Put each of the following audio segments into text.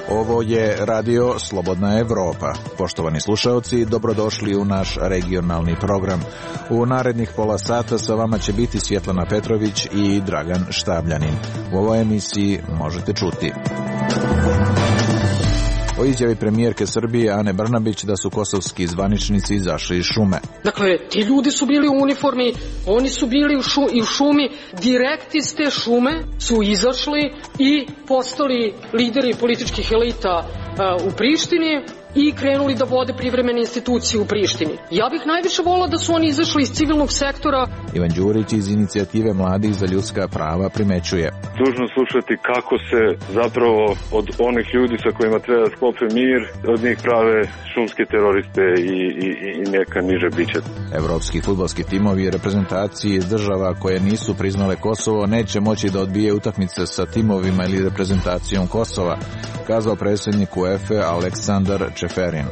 Ovo je Radio Slobodna Evropa. Poštovani slušaoci, dobrodošli u naš regionalni program. U narednih pola sata sa vama će biti Svjetlana Petrović i Dragan Štabljanin. U ovoj emisiji možete čuti o izjavi premijerke Srbije Ane Brnabić da su kosovski zvaničnici izašli iz šume. Dakle, ti ljudi su bili u uniformi, oni su bili u šumi, direkt iz te šume su izašli i postali lideri političkih elita u Prištini i krenuli da vode privremene institucije u Prištini. Ja bih najviše volila da su oni izašli iz civilnog sektora. Ivan Đurić iz inicijative Mladih za ljudska prava primećuje: dužno slušati kako se zapravo od onih ljudi sa kojima treba da sklope mir, od njih prave šumske teroriste i neka niže biće. Evropski fudbalski timovi i reprezentacije iz država koje nisu priznale Kosovo neće moći da odbije utakmice sa timovima ili reprezentacijom Kosova, kazao predsjednik UEFA Aleksandar Čeferin.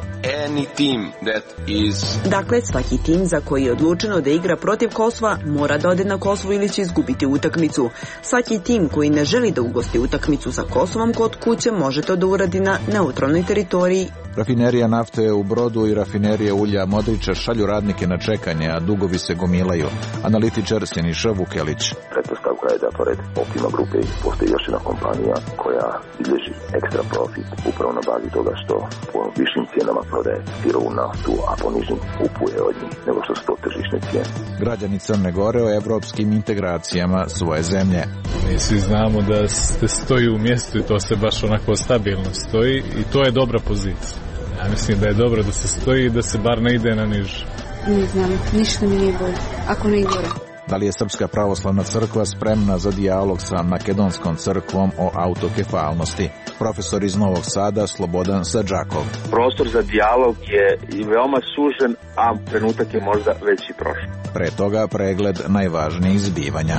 Dakle, svaki tim za koji je odlučeno da igra protiv Kosova mora da ode na Kosovo ili će izgubiti utakmicu. Svaki tim koji ne želi da ugosti utakmicu sa Kosovom kod kuće može to da uradi na neutralnoj teritoriji. Rafinerija nafte u Brodu i rafinerija ulja Modriča šalju radnike na čekanje, a dugovi se gomilaju. Analitičar Siniša Vukelić. Pretpostavka je da pored Optima grupe postoji još jedna kompanija koja bilježi ekstra profit upravo na bazi toga što po višim cijenama prodaje sirovu naftu, a po nižim kupuje od njih nego što su to tržišne cijene. Građani Crne Gore o evropskim integracijama svoje zemlje. Mi svi znamo da se stoji u mjestu i to se baš onako stabilno stoji i to je dobra pozicija. Ja mislim da je dobro da se stoji i da se bar ne ide na niže. Ne znam, ništa mi nije bolje, ako ne i gore. Da li je Srpska pravoslavna crkva spremna za dijalog sa Makedonskom crkvom o autokefalnosti? Profesor iz Novog Sada Slobodan Sadžakov. Prostor za dijalog je i veoma sužen, a trenutak je možda već i prošao. Pre toga pregled najvažnijih zbivanja.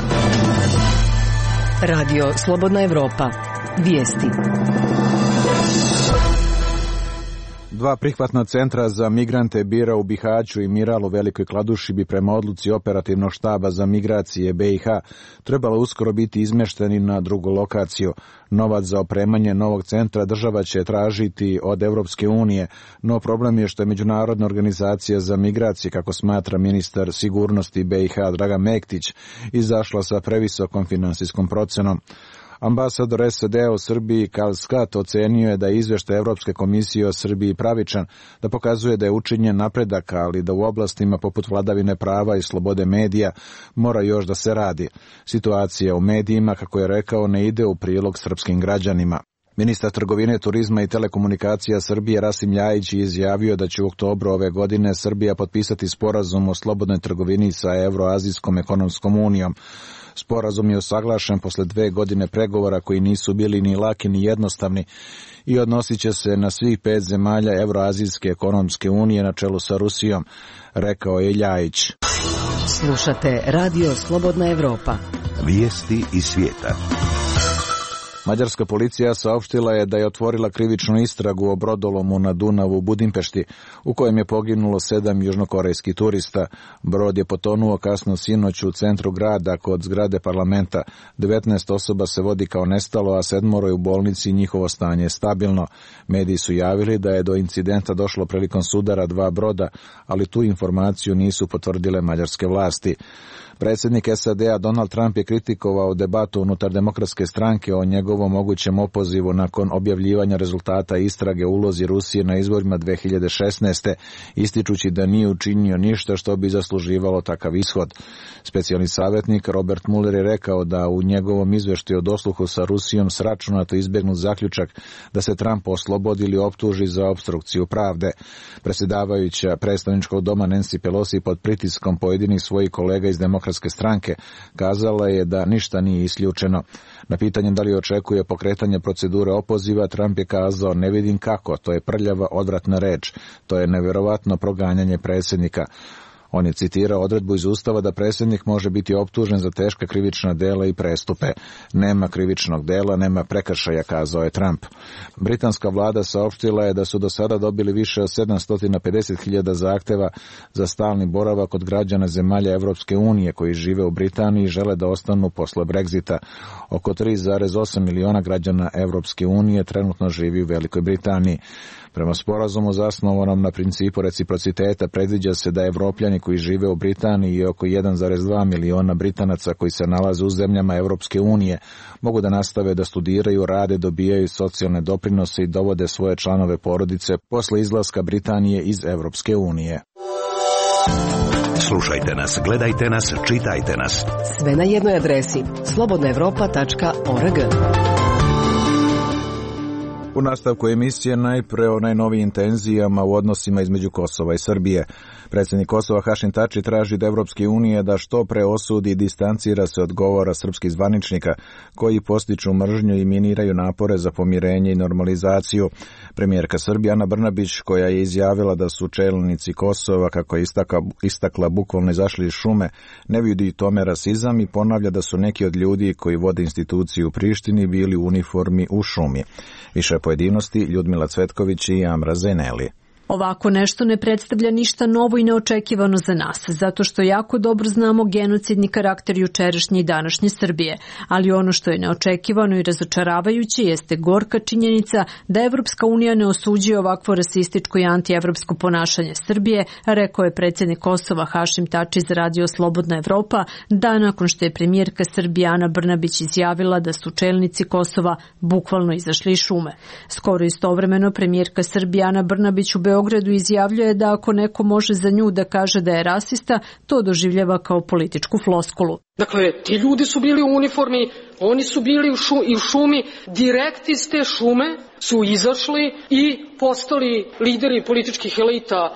Radio Slobodna Evropa. Vijesti. 2 prihvatna centra za migrante Bira u Bihaću i Miral u Velikoj Kladuši bi prema odluci operativnog štaba za migracije BiH trebalo uskoro biti izmešteni na drugu lokaciju. Novac za opremanje novog centra država će tražiti od Evropske unije, no problem je što je Međunarodna organizacija za migracije, kako smatra ministar sigurnosti BiH Dragan Mektić, izašla sa previsokom finansijskom procenom. Ambasador SAD-a u Srbiji Karl Scott ocenio je da je izveštaj Evropske komisije o Srbiji pravičan, da pokazuje da je učinjen napredak, ali da u oblastima poput vladavine prava i slobode medija mora još da se radi. Situacija u medijima, kako je rekao, ne ide u prilog srpskim građanima. Ministar trgovine, turizma i telekomunikacija Srbije Rasim Ljajić je izjavio da će u oktobru ove godine Srbija potpisati sporazum o slobodnoj trgovini sa Evroazijskom ekonomskom unijom. Sporazum je usaglašen posle 2 godine pregovora koji nisu bili ni laki ni jednostavni i odnosit će se na svih 5 zemalja Evroazijske ekonomske unije na čelu sa Rusijom, rekao je Ljajić. Slušate Radio Slobodna Evropa. Vijesti iz svijeta. Mađarska policija saopštila je da je otvorila krivičnu istragu o brodolomu na Dunavu u Budimpešti, u kojem je poginulo 7 južnokorejskih turista. Brod je potonuo kasno sinoć u centru grada kod zgrade parlamenta. 19 osoba se vodi kao nestalo, a 7 je u bolnici i njihovo stanje je stabilno. Mediji su javili da je do incidenta došlo prilikom sudara 2 broda, ali tu informaciju nisu potvrdile mađarske vlasti. Predsjednik SAD-a Donald Trump je kritikovao debatu unutar Demokratske stranke o njegovom mogućem opozivu nakon objavljivanja rezultata istrage o ulozi Rusije na izborima 2016. ističući da nije učinio ništa što bi zasluživalo takav ishod. Specijalni savjetnik Robert Mueller je rekao da u njegovom izveštaju o dosluhu sa Rusijom sračunato izbjegnut zaključak da se Trump oslobodi ili optuži za opstrukciju pravde. Predsjedavajuća predstavničkog doma Nancy Pelosi pod pritiskom pojedinih svojih kolega iz Demokratske stranke kazala je da ništa nije isključeno. Na pitanje da li očekuje pokretanje procedure opoziva, Trump je kazao: ne vidim kako, to je prljava, odvratna reč, to je nevjerovatno proganjanje predsjednika. On je citirao odredbu iz Ustava da predsjednik može biti optužen za teška krivična dela i prestupe. Nema krivičnog dela, nema prekršaja, kazao je Trump. Britanska vlada saopštila je da su do sada dobili više od 750.000 zahteva za stalni boravak od građana zemalja Evropske unije koji žive u Britaniji i žele da ostanu posle Brexita. Oko 3,8 miliona građana Evropske unije trenutno živi u Velikoj Britaniji. Prema sporazumu zasnovanom na principu reciprociteta predviđa se da Evropljani koji žive u Britaniji i oko 1,2 miliona Britanaca koji se nalaze u zemljama Evropske unije mogu da nastave da studiraju, rade, dobijaju socijalne doprinose i dovode svoje članove porodice posle izlaska Britanije iz Evropske unije. Slušajte nas, gledajte nas, čitajte nas. Sve na jednoj adresi slobodnaevropa.org. U nastavku emisije najpre o najnovijim tenzijama u odnosima između Kosova i Srbije. Predsjednik Kosova Hašim Tači traži od Evropske unije da što pre osudi i distancira se od govora srpskih zvaničnika koji podstiču mržnju i miniraju napore za pomirenje i normalizaciju. Premijerka Srbije Ana Brnabić, koja je izjavila da su čelnici Kosova, kako je istakla, bukvalno izašli iz šume, ne vidi tome rasizam i ponavlja da su neki od ljudi koji vode instituciju u Prištini bili u uniformi u šumi. Više pojedinosti Ljudmila Cvetković i Amra Zeneli. Ovako nešto ne predstavlja ništa novo i neočekivano za nas, zato što jako dobro znamo genocidni karakter jučerašnje i današnje Srbije. Ali ono što je neočekivano i razočaravajuće jeste gorka činjenica da Evropska unija ne osuđuje ovakvo rasističko i antievropsko ponašanje Srbije, rekao je predsjednik Kosova Hašim Tači za radio Slobodna Evropa, dan nakon što je premijerka Srbije Ana Brnabić izjavila da su čelnici Kosova bukvalno izašli iz šume. Skoro istovremeno premijerka Srbije Ana Brnabić u Beogradu izjavljuje da ako neko može za nju da kaže da je rasista, to doživljava kao političku floskulu. Dakle, ti ljudi su bili u uniformi, oni su bili u šumi, direkt iz te šume su izašli i postali lideri političkih elita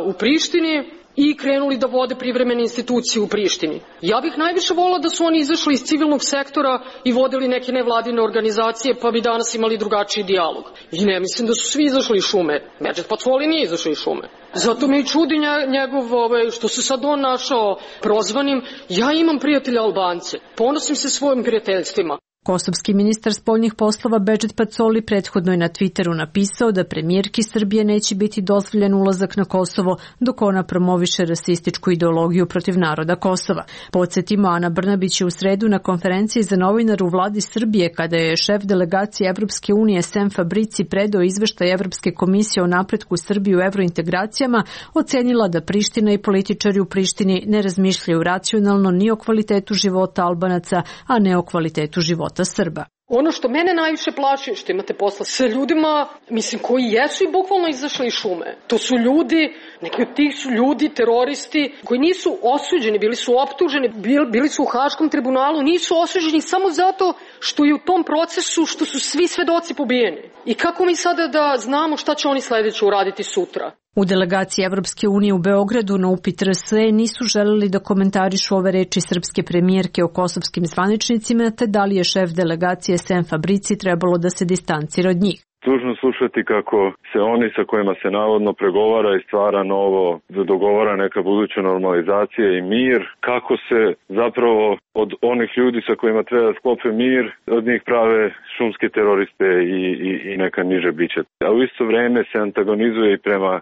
u Prištini i krenuli da vode privremene institucije u Prištini. Ja bih najviše volila da su oni izašli iz civilnog sektora i vodili neke nevladine organizacije, pa bi danas imali drugačiji dijalog. I ne mislim da su svi izašli iz šume. Medžet Pacoli nije izašao iz šume. Zato me i čudi njegov, što se sad on našao prozvanim. Ja imam prijatelja Albance. Ponosim se svojim prijateljstvima. Kosovski ministar spoljnih poslova Bedžet Pacoli prethodno je na Twitteru napisao da premijerki Srbije neće biti dozvoljen ulazak na Kosovo dok ona promoviše rasističku ideologiju protiv naroda Kosova. Podsjetimo, Ana Brnabić je u sredu na konferenciji za novinare u vladi Srbije, kada je šef delegacije Evropske unije Sem Fabrici predao izveštaj Evropske komisije o napretku Srbije u evrointegracijama, ocenila da Priština i političari u Prištini ne razmišljaju racionalno ni o kvalitetu života Albanaca, a ne o kvalitetu života Srba. Ono što mene najviše plaši, što imate posla sa ljudima, koji jesu i bukvalno izašli iz šume. To su ljudi, neki od tih su ljudi, teroristi, koji nisu osuđeni, bili su optuženi, bili su u Haškom tribunalu, nisu osuđeni samo zato što je u tom procesu, što su svi svedoci pobijeni. I kako mi sada da znamo šta će oni sledeće uraditi sutra? U delegaciji Evropske unije u Beogradu na upit RSE nisu želeli da komentarišu ove reči srpske premijerke o kosovskim zvaničnicima, te da li je šef delegacije Sem Fabrici trebalo da se distancira od njih. Tužno slušati kako se oni sa kojima se navodno pregovara i stvara novo, dogovara neka buduća normalizacija i mir, kako se zapravo od onih ljudi sa kojima treba da sklope mir, od njih prave šumske teroriste i neka niže bića. A u isto vreme se antagonizuje i prema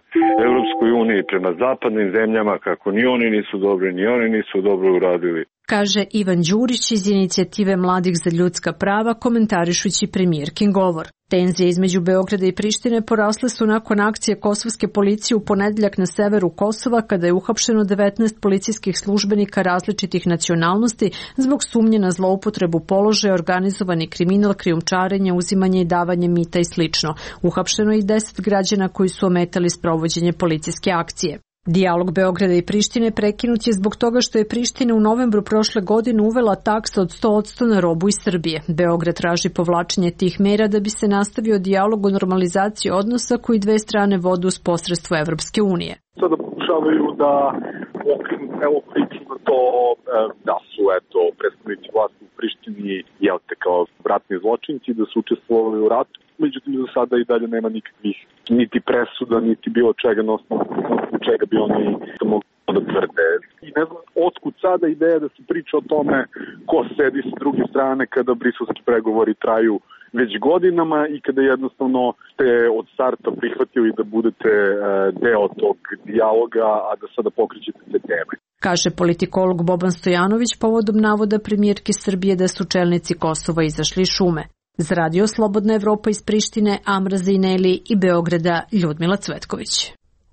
Evropskoj uniji, prema zapadnim zemljama, kako ni oni nisu dobri, ni oni nisu dobro uradili. Kaže Ivan Đurić iz inicijative Mladih za ljudska prava, komentarišući premijerkin govor. Tenzije između Beograda i Prištine porasle su nakon akcije kosovske policije u ponedeljak na severu Kosova, kada je uhapšeno 19 policijskih službenika različitih nacionalnosti zbog sumnje na zloupotrebu položaja, organizovani kriminal, krijumčarenje, uzimanje i davanje mita i sl. Uhapšeno je i 10 građana koji su ometali sprovođenje policijske akcije. Dijalog Beograda i Prištine prekinut je zbog toga što je Priština u novembru prošle godine uvela taksu od 100% na robu iz Srbije. Beograd traži povlačenje tih mera da bi se nastavio dijalog o normalizaciji odnosa koji dve strane vode uz posredstvo Evropske unije. Sada pokušavaju da okrenu celu priču na to da su predstavnici vlasti u Prištini kao ratni zločinci, da su učestvovali u ratu. Međutim, do sada i dalje nema nikakvih niti presuda, niti bilo čega na osnovu čega bi oni to mogli da tvrde. sada ideja da se priča o tome ko sedi s druge strane kada briselski pregovori traju već godinama i kada jednostavno ste od starta prihvatili da budete deo tog dijaloga, a da sada pokrećete te teme. Kaže politikolog Boban Stojanović povodom navoda premijerke Srbije da su čelnici Kosova izašli iz šume. Za Radio Slobodna Evropa iz Prištine, Amra Zineli i Beograda, Ljudmila Cvetković.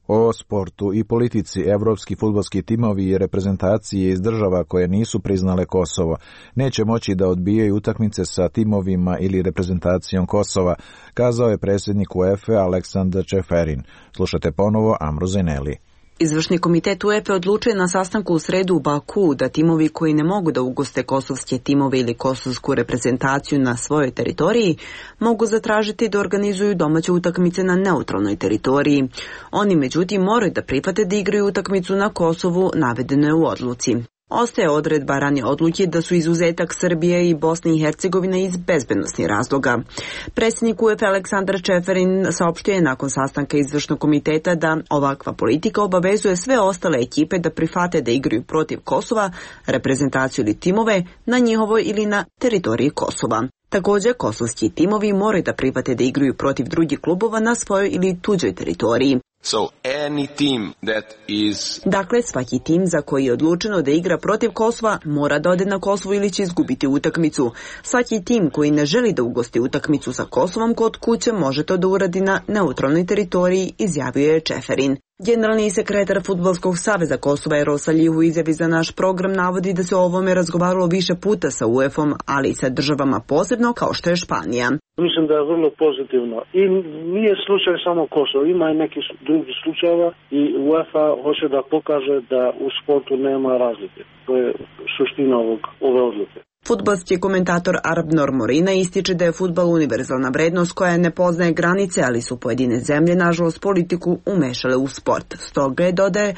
O sportu i politici evropski fudbalski timovi i reprezentacije iz država koje nisu priznale Kosovo neće moći da odbijaju utakmice sa timovima ili reprezentacijom Kosova, kazao je predsjednik UEFA Aleksandar Čeferin. Slušate ponovo Amru Zineli. Izvršni komitet UEFA odlučuje na sastanku u sredu u Baku da timovi koji ne mogu da ugoste kosovske timove ili kosovsku reprezentaciju na svojoj teritoriji mogu zatražiti da organizuju domaće utakmice na neutralnoj teritoriji. Oni međutim moraju da prihvate da igraju utakmicu na Kosovu, navedeno je u odluci. Ostaje odredba ranije odluke da su izuzetak Srbije i Bosne i Hercegovine iz bezbednosnih razloga. Predsjednik UEFA Aleksandar Čeferin saopštio je nakon sastanka izvršnog komiteta da ovakva politika obavezuje sve ostale ekipe da prihvate da igraju protiv Kosova, reprezentaciju ili timove na njihovoj ili na teritoriji Kosova. Također, kosovski timovi moraju da prihvate da igraju protiv drugih klubova na svojoj ili tuđoj teritoriji. Dakle, svaki tim za koji je odlučeno da igra protiv Kosova mora da ode na Kosovo ili će izgubiti utakmicu. Svaki tim koji ne želi da ugosti utakmicu sa Kosovom kod kuće može to da uradi na neutralnoj teritoriji, izjavio je Čeferin. Generalni sekretar Fudbalskog saveza Kosova Erol Salih u izjavi za naš program navodi da se o ovome razgovaralo više puta sa UEFA-om, ali i sa državama posebno kao što je Španija. Mislim da je vrlo pozitivno i nije slučaj samo Kosovo, ima i neki drugi slučajeva i UEFA hoće da pokaže da u sportu nema razlike. To je suština ove odluke. Fudbalski komentator Arbnor Morina ističe da je fudbal univerzalna vrednost koja ne poznaje granice, ali su pojedine zemlje, nažalost, politiku umešale u sport. Stoga je, dodaje,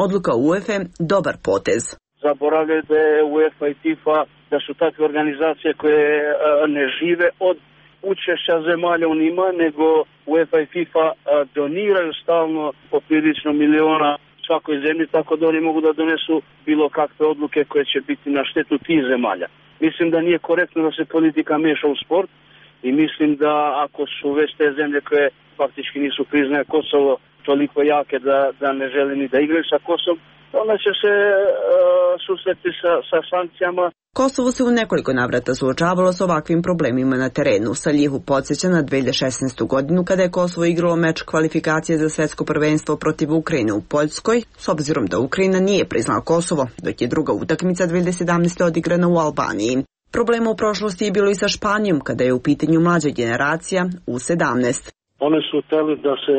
odluka UEFA dobar potez. Zaboravljaju da je UEFA i FIFA, da su takve organizacije koje ne žive od učešća zemalja u njima, nego UEFA i FIFA doniraju stalno poprilično miliona svakoj zemlji, tako da oni mogu da donesu bilo kakve odluke koje će biti na štetu tih zemalja. Mislim da nije korektno da se politika miješa u sport i mislim da ako su već te zemlje koje faktički nisu priznaje Kosovo toliko jake da ne žele ni da igraju sa Kosovom, onda će se susreti sa sankcijama. Kosovo se u nekoliko navrata suočavalo s ovakvim problemima na terenu. Saljihu podsjeća na 2016. godinu kada je Kosovo igralo meč kvalifikacije za svetsko prvenstvo protiv Ukrajine u Poljskoj, s obzirom da Ukrajina nije priznala Kosovo, dok je druga utakmica 2017. odigrana u Albaniji. Problema u prošlosti je bilo i sa Španijom kada je u pitanju mlađa generacija U17. Oni su htjeli da se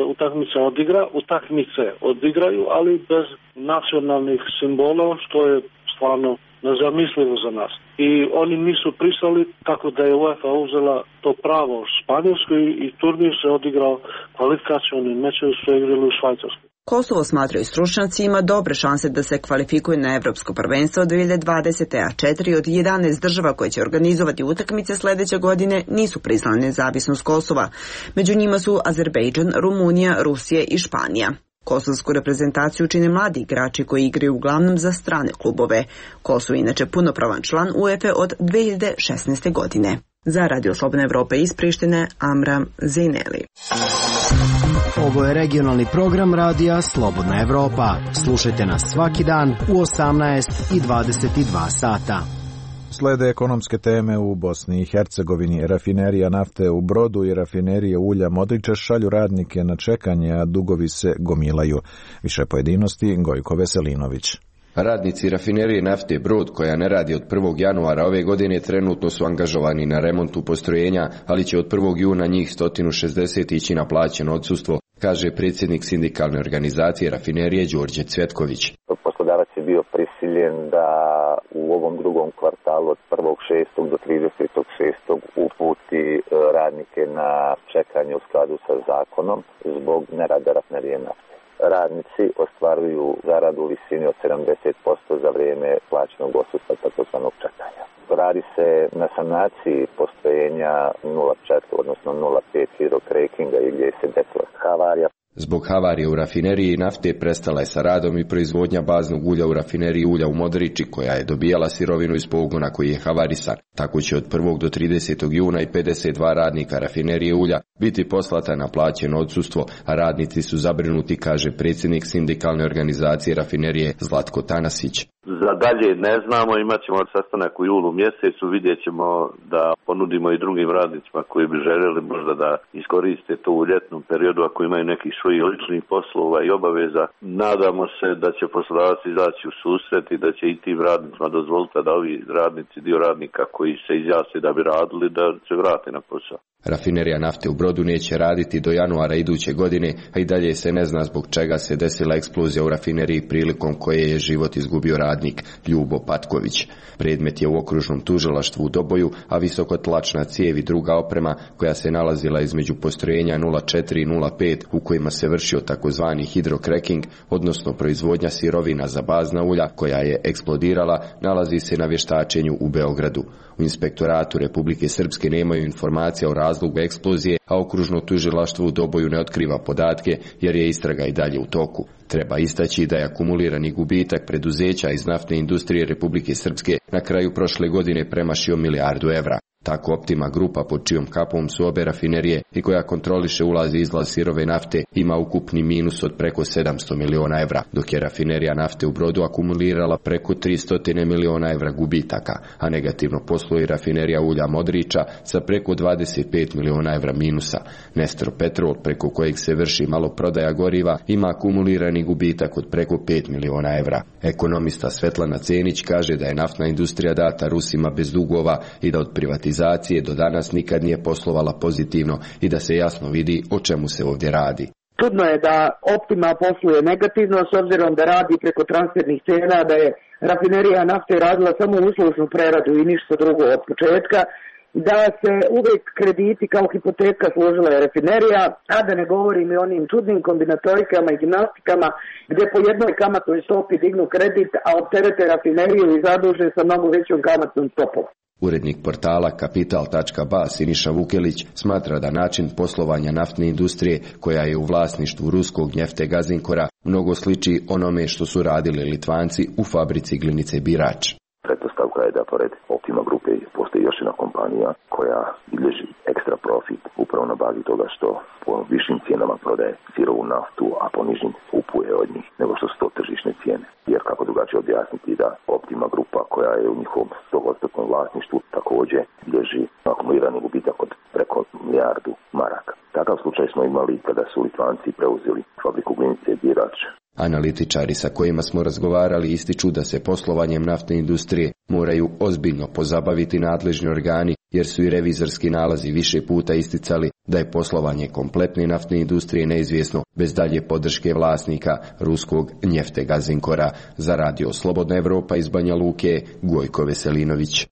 utakmice odigraju, ali bez nacionalnih simbola, što je stvarno nezamislivo za nas. I oni nisu pristali, tako da je UEFA uzela to pravo Španjolskoj i turnir se odigrao kvalifikacioni mečevi su igrali u Švajcarskoj. Kosovo, smatraju stručnjaci, ima dobre šanse da se kvalifikuje na Evropsko prvenstvo 2020. a 4 od 11 država koje će organizovati utakmice sljedeće godine nisu priznale nezavisnost Kosova. Među njima su Azerbejdžan, Rumunija, Rusija i Španija. Kosovsku reprezentaciju čine mladi igrači koji igraju uglavnom za strane klubove. Kosovo je inače punopravan član UEFA od 2016. godine. Za Radio Slobodna Evropa iz Prištine, Amra Zineli. Ovo je regionalni program radija Slobodna Evropa. Slušajte nas svaki dan u 18 i 22 sata. Slede ekonomske teme u Bosni i Hercegovini. Rafinerija nafte u Brodu i rafinerije ulja Modriče šalju radnike na čekanje, a dugovi se gomilaju. Više pojedinosti Gojko Veselinović. Radnici rafinerije nafte Brod, koja ne radi od 1. januara ove godine, trenutno su angažovani na remontu postrojenja, ali će od 1. juna njih 160 ići na plaćeno odsustvo, kaže predsjednik sindikalne organizacije rafinerije Đorđe Cvetković. Poslodavac je bio prisiljen da u ovom drugom kvartalu od 1.6. do 30.6. uputi radnike na čekanje u skladu sa zakonom zbog nerada rafinerije nafte. Radnici ostvaruju zaradu u visini od 70% za vrijeme plaćenog odsustva takozvanog čekanja. Radi se na sanaciji postrojenja 0,4 odnosno 0,5 hidrokrakinga i gdje se desila havarija. Zbog havarije u rafineriji nafte prestala je sa radom i proizvodnja baznog ulja u rafineriji ulja u Modriči, koja je dobijala sirovinu iz pogona koji je havarisan. Tako će od 1. do 30. juna i 52 radnika rafinerije ulja biti poslata na plaćeno odsustvo, a radnici su zabrinuti, kaže predsjednik sindikalne organizacije rafinerije Zlatko Tanasić. Za dalje ne znamo, imat ćemo sastanak u julu mjesecu, vidjet ćemo da ponudimo i drugim radnicima koji bi željeli možda da iskoriste to u ljetnom periodu ako imaju nekih svojih ličnih poslova i obaveza. Nadamo se da će poslodavac izaći u susret i da će i tim radnicima dozvoliti da ovi radnici, dio radnika koji se izjasne da bi radili, da se vrate na posao. Rafinerija nafte u Brodu neće raditi do januara iduće godine, a i dalje se ne zna zbog čega se desila eksplozija u rafineriji prilikom koje je život izgubio radnik Ljubo Patković. Predmet je u okružnom tužilaštvu u Doboju, a visokotlačna cijev i druga oprema koja se nalazila između postrojenja 04 i 05 u kojima se vršio takozvani hidrokreking, odnosno proizvodnja sirovina za bazna ulja koja je eksplodirala, nalazi se na vještačenju u Beogradu. U Inspektoratu Republike Srpske nemaju informacija o razlogu eksplozije, a okružno tužilaštvo u Doboju ne otkriva podatke jer je istraga i dalje u toku. Treba istaći da je akumulirani gubitak preduzeća iz naftne industrije Republike Srpske na kraju prošle godine premašio milijardu evra. Tako Optima grupa, pod čijom kapom su obe rafinerije i koja kontroliše ulaz i izlaz sirove nafte, ima ukupni minus od preko 700 miliona evra, dok je rafinerija nafte u Brodu akumulirala preko 300 miliona evra gubitaka, a negativno posluje i rafinerija ulja Modriča sa preko 25 miliona evra minusa. Nestro Petrol, preko kojeg se vrši maloprodaja goriva, ima akumulirani gubitak od preko 5 miliona evra. Ekonomista Svetlana Cenić kaže da je naftna industrija data Rusima bez dugova i da od privatizacije do danas nikad nije poslovala pozitivno i da se jasno vidi o čemu se ovdje radi. Čudno je da Optima posluje negativno s obzirom da radi preko transfernih cena, da je rafinerija nafte radila samo uslužnu preradu i ništa drugo od početka, da se uvijek krediti kao hipoteka služila je rafinerija, a da ne govorim i onim čudnim kombinatorikama i gimnastikama gdje po jednoj kamatnoj stopi dignu kredit, a opterete rafineriju i zaduže sa mnogo većom kamatnom stopom. Urednik portala Kapital.ba Siniša Vukelić smatra da način poslovanja naftne industrije, koja je u vlasništvu ruskog Njefte Gazinkora, mnogo sliči onome što su radili Litvanci u fabrici glinice Birač. Pretpostavka je da pored Optima grupe postoji još jedna kompanija koja bilježi ekstra profit upravo na bazi toga što po višim cijenama prodaje sirovu naftu, a po nižim kupuje od njih nego što su to tržišne cijene. Jer kako drugačije objasniti da Optima grupa, koja je u njihovom 100% vlasništvu, također bilježi akumulirani gubitak od preko milijardu maraka. Takav slučaj smo imali kada su Litvanci preuzeli fabriku glinice Birač. Analitičari sa kojima smo razgovarali ističu da se poslovanjem naftne industrije moraju ozbiljno pozabaviti nadležni organi, jer su i revizorski nalazi više puta isticali da je poslovanje kompletne naftne industrije neizvjesno bez dalje podrške vlasnika ruskog Njefte Gazinkora. Za Radio Slobodna Evropa iz Banja Luke, Gojko Veselinović.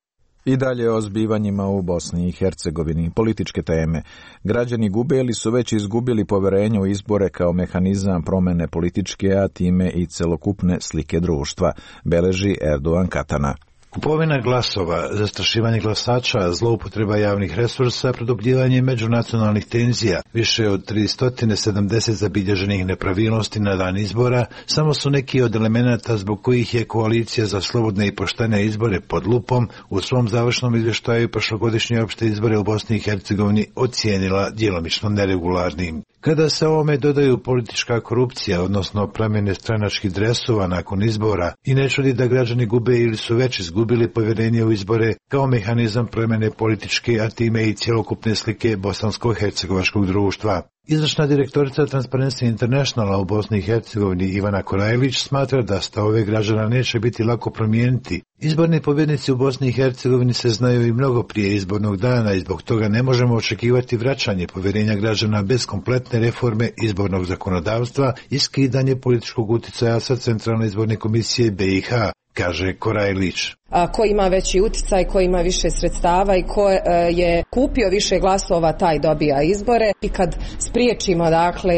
I dalje o zbivanjima u Bosni i Hercegovini. Političke teme. Građani gube ili su već izgubili poverenje u izbore kao mehanizam promjene političke, a time i celokupne slike društva, beleži Erdogan Katana. Kupovina glasova, zastrašivanje glasača, zloupotreba javnih resursa, produbljivanje međunacionalnih tenzija, više od 370 zabilježenih nepravilnosti na dan izbora, samo su neki od elemenata zbog kojih je Koalicija za slobodne i poštene izbore pod lupom u svom završnom izvještaju prošlogodišnje opšte izbore u Bosni i Hercegovini ocijenila djelomično neregularnim. Kada se ovome dodaju politička korupcija, odnosno promjene stranačkih dresova nakon izbora, i ne čudi da građani gube ili su već izgubili povjerenje u izbore kao mehanizam promjene političke, a time i cjelokupne slike bosansko-hercegovačkog društva. Izvršna direktorica Transparency Internationala u Bosni i Hercegovini Ivana Korajlić smatra da stavove građana neće biti lako promijeniti. Izborni pobjednici u Bosni i Hercegovini se znaju i mnogo prije izbornog dana i zbog toga ne možemo očekivati vraćanje povjerenja građana bez kompletne reforme izbornog zakonodavstva i skidanje političkog utjecaja sa Centralne izborne komisije BiH, kaže Korajlić. Ko ima veći utjecaj, ko ima više sredstava i ko je kupio više glasova, taj dobija izbore. I kad spriječimo, dakle,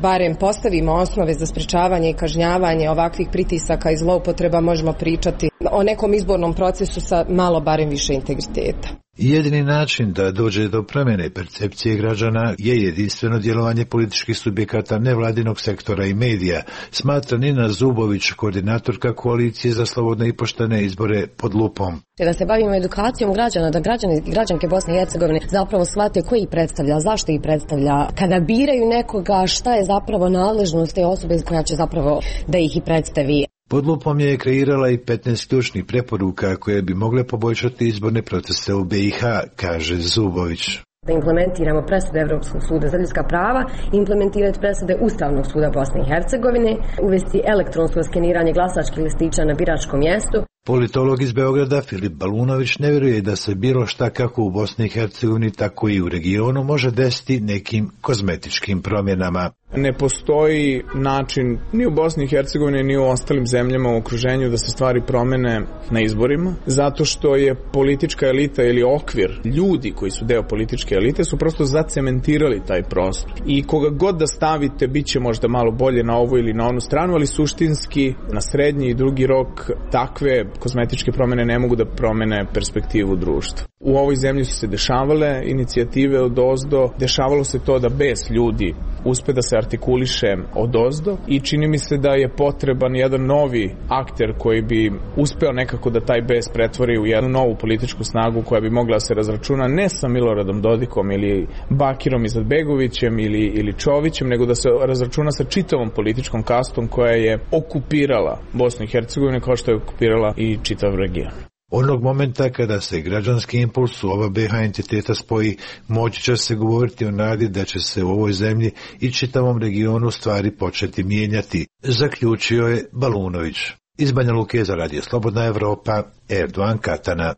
barem postavimo osnove za sprečavanje i kažnjavanje ovakvih pritisaka i zloupotreba, možemo pričati o nekom izbornom procesu sa malo barem više integriteta. Jedini način da dođe do promjene percepcije građana je jedinstveno djelovanje političkih subjekata nevladinog sektora i medija, smatra Nina Zubović, koordinatorka Koalicije za slobodne i poštene izbore Pod lupom. Da se bavimo edukacijom građana, da građani i građanke Bosne i Hercegovine zapravo shvate ko ih predstavlja, zašto ih predstavlja, kada biraju nekoga, šta je zapravo nadležnost te osobe koja će zapravo da ih i predstavi. Pod lupom je kreirala i 15 ključnih preporuka koje bi mogle poboljšati izborne procese u BiH, kaže Zubović. Da implementiramo presude Evropskog suda za ljudska prava, implementirati presude Ustavnog suda Bosne i Hercegovine, uvesti elektronsko skeniranje glasačkih listića na biračkom mjestu. Politolog iz Beograda Filip Balunović ne vjeruje da se bilo šta kako u Bosni i Hercegovini, tako i u regionu može desiti nekim kozmetičkim promjenama. Ne postoji način ni u Bosni i Hercegovini ni u ostalim zemljama u okruženju da se stvari promene na izborima, zato što je politička elita ili okvir, ljudi koji su deo političke elite su prosto zacementirali taj prostor. I koga god da stavite bit će možda malo bolje na ovu ili na onu stranu, ali suštinski na srednji i drugi rok takve kozmetičke promjene ne mogu da promene perspektivu društva. U ovoj zemlji su se dešavale inicijative odozdo, dešavalo se to da bes ljudi uspe da se artikuliše odozdo i čini mi se da je potreban jedan novi akter koji bi uspeo nekako da taj bes pretvori u jednu novu političku snagu koja bi mogla da se razračuna ne sa Miloradom Dodikom ili Bakirom Izetbegovićem ili Čovićem, nego da se razračuna sa čitavom političkom kastom koja je okupirala Bosnu i Hercegovinu kao što je okupirala i čitav region. Onog momenta kada se građanski impuls u oba BiH entiteta spoji, moći će se govoriti o nadi da će se u ovoj zemlji i čitavom regionu stvari početi mijenjati, zaključio je Balunović. Iz Banja Luke za Radio Slobodna Evropa, Erdogan Katana.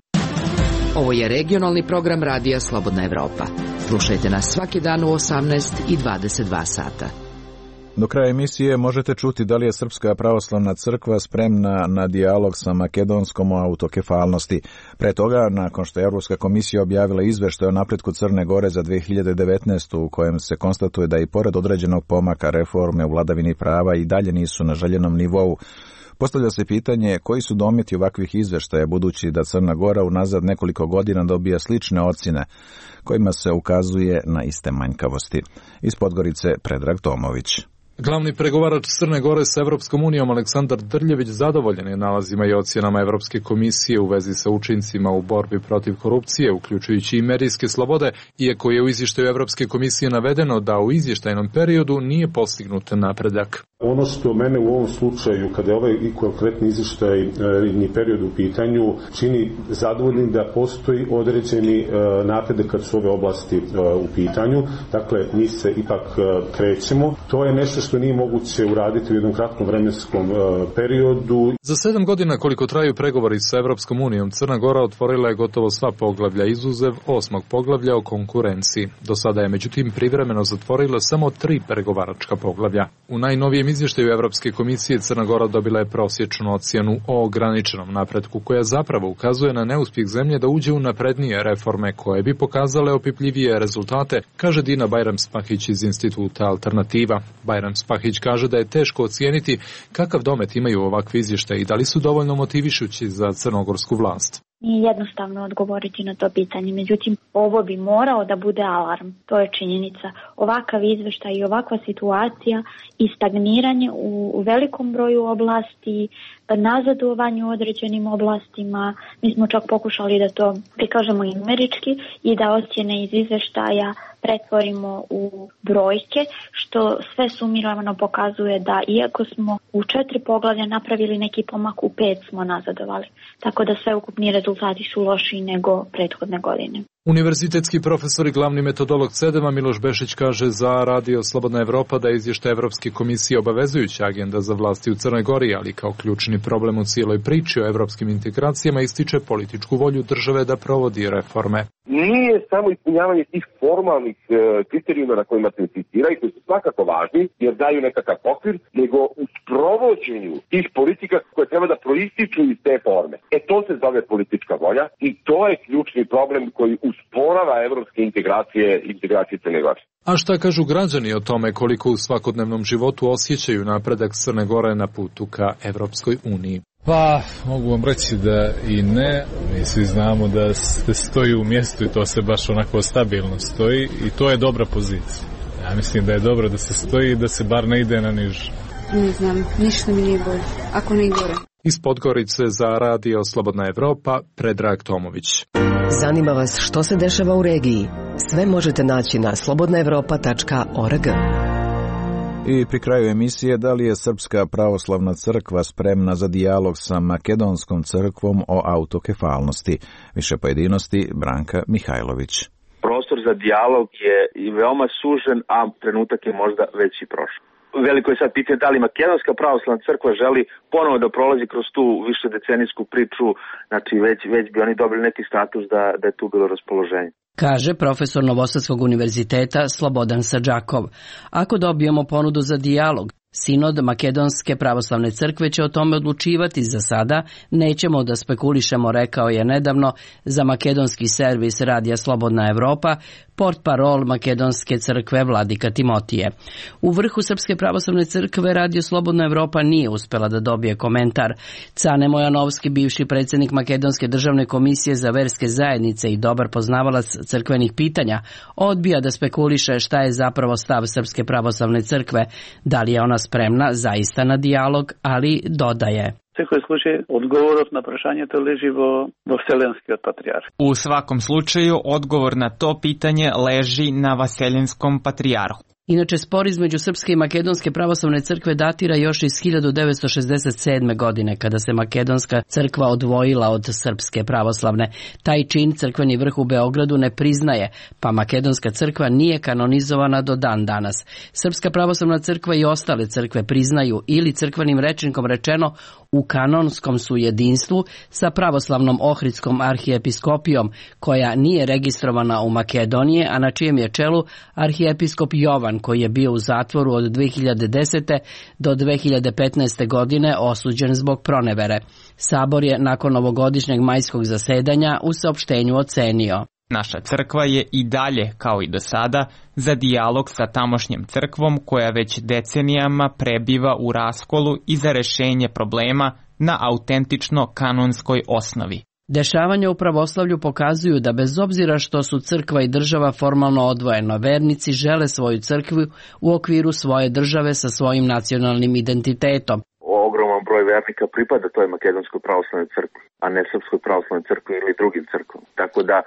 Ovo je regionalni program Radija Slobodna Evropa. Slušajte nas svaki dan u 18 i 22 sata. Do kraja emisije možete čuti da li je Srpska pravoslavna crkva spremna na dijalog sa makedonskom o autokefalnosti. Pre toga, nakon što je Evropska komisija objavila izveštaj o napretku Crne Gore za 2019. u kojem se konstatuje da i pored određenog pomaka reforme u vladavini prava i dalje nisu na željenom nivou, postavlja se pitanje koji su dometi ovakvih izveštaja, budući da Crna Gora unazad nekoliko godina dobija slične ocjene kojima se ukazuje na iste manjkavosti. Iz Podgorice Predrag Tomović. Glavni pregovarač Crne Gore sa Evropskom unijom Aleksandar Drljević zadovoljen je nalazima i ocjenama Evropske komisije u vezi sa učincima u borbi protiv korupcije, uključujući i medijske slobode, iako je u izvještaju Evropske komisije navedeno da u izvještajnom periodu nije postignut napredak. Ono što mene u ovom slučaju, kada je ovaj i konkretni izvještajni period u pitanju, čini zadovoljnim da postoji određeni napredak kad su ove oblasti u pitanju. Dakle, mi se ipak krećemo. To je nešto što nije moguće uraditi u jednom kratkom vremenskom periodu. Za 7 godina koliko traju pregovori sa Evropskom unijom, Crna Gora otvorila je gotovo sva poglavlja izuzev 8. poglavlja o konkurenciji. Do sada je međutim privremeno zatvorila samo 3 pregovaračka poglavlja. U najnovijem izvještaju Evropske komisije Crna Gora dobila je prosječnu ocjenu o ograničenom napretku, koja zapravo ukazuje na neuspjeh zemlje da uđe u naprednije reforme koje bi pokazale opipljivije rezultate, kaže Dina Bajram-Spahić iz Instituta Alternativa. Bajram-Spahić kaže da je teško ocijeniti kakav domet imaju ovakvi izvještaji i da li su dovoljno motivišući za crnogorsku vlast. Nije jednostavno odgovoriti na to pitanje, međutim ovo bi morao da bude alarm, to je činjenica. Ovakav izveštaj i ovakva situacija i stagniranje u velikom broju oblasti, nazadovanje u određenim oblastima, mi smo čak pokušali da to prikažemo i numerički i da ocjene iz izveštaja pretvorimo u brojke, što sve sumirano pokazuje da iako smo u 4 poglavlja napravili neki pomak, u 5 smo nazadovali. Tako da sve ukupni rezultati su lošiji nego prethodne godine. Univerzitetski profesor i glavni metodolog CEDEM-a Miloš Bešić kaže za Radio Slobodna Evropa da je izvještaj Evropske komisije obavezujuća agenda za vlasti u Crnoj Gori, ali kao ključni problem u cijeloj priči o evropskim integracijama ističe političku volju države da provodi reforme. Nije samo ispunjavanje tih formalnih kriterijuma na kojima se insistiraju, koji su svakako važni jer daju nekakav okvir, nego u sprovođenju tih politika koje treba da proističu iz te forme. To se zove politička volja i to je ključni problem koji usporava evropske integracije Crne Gore. A šta kažu građani o tome koliko u svakodnevnom životu osjećaju napredak Crne Gore na putu ka Evropskoj uniji? Pa, mogu vam reći da i ne. Mi svi znamo da se stoji u mjestu i to se baš onako stabilno stoji i to je dobra pozicija. Ja mislim da je dobro da se stoji i da se bar ne ide na niže. Ne znam, ništa mi nije bolje, ako ne i gore. Iz Podgorice za Radio Slobodna Evropa, Predrag Tomović. Zanima vas što se dešava u regiji? Sve možete naći na slobodnaevropa.org. I pri kraju emisije, da li je Srpska pravoslavna crkva spremna za dijalog sa Makedonskom crkvom o autokefalnosti? Više pojedinosti, Branka Mihajlović. Prostor za dijalog je i veoma sužen, a trenutak je možda već i prošao. Veliko je sad pitanje da li Makedonska pravoslavna crkva želi ponovo da prolazi kroz tu višedecenijsku priču, znači već bi oni dobili neki status da je tu bilo raspoloženje. Kaže profesor Novosadskog univerziteta Slobodan Sadžakov. Ako dobijemo ponudu za dijalog, Sinod Makedonske pravoslavne crkve će o tome odlučivati. Za sada nećemo da spekulišemo, rekao je nedavno za makedonski servis Radija Slobodna Evropa portparol Makedonske crkve Vladika Timotije. U vrhu Srpske pravoslavne crkve Radio Slobodna Evropa nije uspela da dobije komentar. Cane Mojanovski, bivši predsjednik Makedonske državne komisije za verske zajednice i dobar poznavalac crkvenih pitanja, odbija da spekuliše šta je zapravo stav Srpske pravoslavne crkve, da li je ona spremna zaista na dijalog, ali dodaje. Всекој случај, одговорот на прашањето лежи во Вселенскиот патријарх. U svakom slučaju, odgovor na to pitanje leži na Vaseljenskом patrijarhu. Inače, spor između Srpske i Makedonske pravoslavne crkve datira još iz 1967. godine, kada se Makedonska crkva odvojila od Srpske pravoslavne. Taj čin crkveni vrh u Beogradu ne priznaje, pa Makedonska crkva nije kanonizovana do dan danas. Srpska pravoslavna crkva i ostale crkve priznaju, ili crkvenim rečnikom rečeno, u kanonskom su jedinstvu sa pravoslavnom Ohridskom arhijepiskopijom, koja nije registrovana u Makedoniji, a na čijem je čelu arhijepiskop Jovan, koji je bio u zatvoru od 2010. do 2015. godine osuđen zbog pronevere. Sabor je nakon ovogodišnjeg majskog zasedanja u saopštenju ocenio: Naša crkva je i dalje, kao i do sada, za dijalog sa tamošnjom crkvom koja već decenijama prebiva u raskolu i za rešenje problema na autentično kanonskoj osnovi. Dešavanja u pravoslavlju pokazuju da bez obzira što su crkva i država formalno odvojeno, vernici žele svoju crkvu u okviru svoje države sa svojim nacionalnim identitetom. Ogroman broj vernika pripada toj Makedonskoj pravoslavnoj crkvi, a ne Srpskoj pravoslavnoj crkvi ili drugim crkvom. Tako da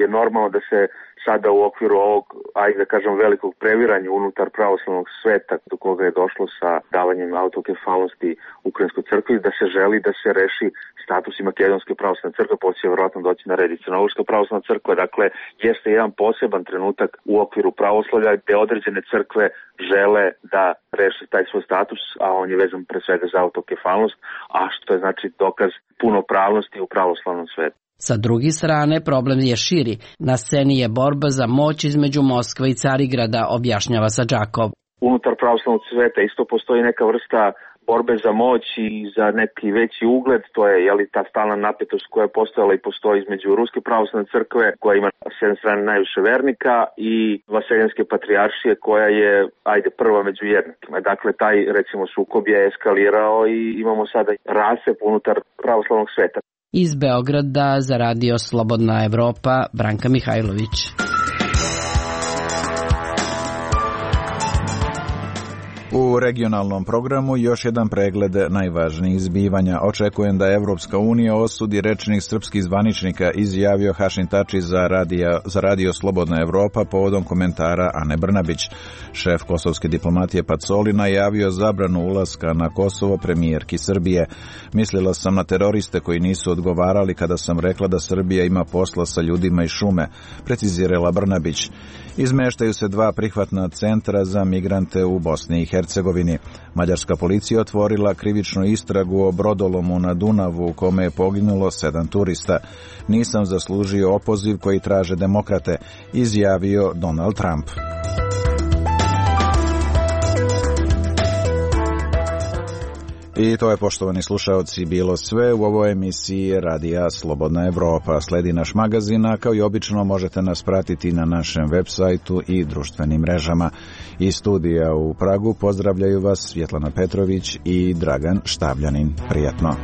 je normalno da se sada u okviru ovog, ajde da kažem, velikog previranja unutar pravoslavnog sveta do koga je došlo sa davanjem autokefalnosti Ukrajinskoj crkvi, da se želi da se reši status i Makedonske pravoslavne crkve, poslije vjerojatno doći na red i Crnogorska pravoslavna crkva. Dakle, jeste jedan poseban trenutak u okviru pravoslavlja gde određene crkve žele da reše taj svoj status, a on je vezan pre svega za autokefalnost, a što je znači dokaz punopravnosti u pravoslavnom svetu. Sa druge strane, problem je širi. Na sceni je borba za moć između Moskve i Carigrada, objašnjava Sadžakov. Unutar pravoslavnog sveta isto postoji neka vrsta borbe za moć i za neki veći ugled, to je ta stalna napetost koja je postojala i postoji između Ruske pravoslavne crkve, koja ima s jedne strane najviše vernika, i Vaseljenske patrijaršije, koja je, prva među jednakima. Dakle, taj, recimo, sukob je eskalirao i imamo sada rascep unutar pravoslavnog sveta. Iz Beograda za Radio Slobodna Evropa, Branka Mihajlović. U regionalnom programu još jedan pregled najvažnijih zbivanja. Očekujem da Evropska unija osudi rečnik srpskih zvaničnika, izjavio Hašim Tači za Radio Slobodna Evropa povodom komentara Ane Brnabić. Šef kosovske diplomatije Pacoli najavio zabranu ulaska na Kosovo premijerki Srbije. Mislila sam na teroriste koji nisu odgovarali kada sam rekla da Srbija ima posla sa ljudima iz šume, precizirala Brnabić. Izmeštaju se 2 prihvatna centra za migrante u Bosni i Hercegovini. Mađarska policija otvorila krivičnu istragu o brodolomu na Dunavu u kome je poginulo 7 turista. Nisam zaslužio opoziv koji traže demokrate, izjavio Donald Trump. I to je, poštovani slušaoci, bilo sve u ovoj emisiji Radija Slobodna Evropa. Sledi naš magazin, a kao i obično možete nas pratiti na našem web sajtu i društvenim mrežama. Iz studija u Pragu pozdravljaju vas Svjetlana Petrović i Dragan Štavljanin. Prijatno.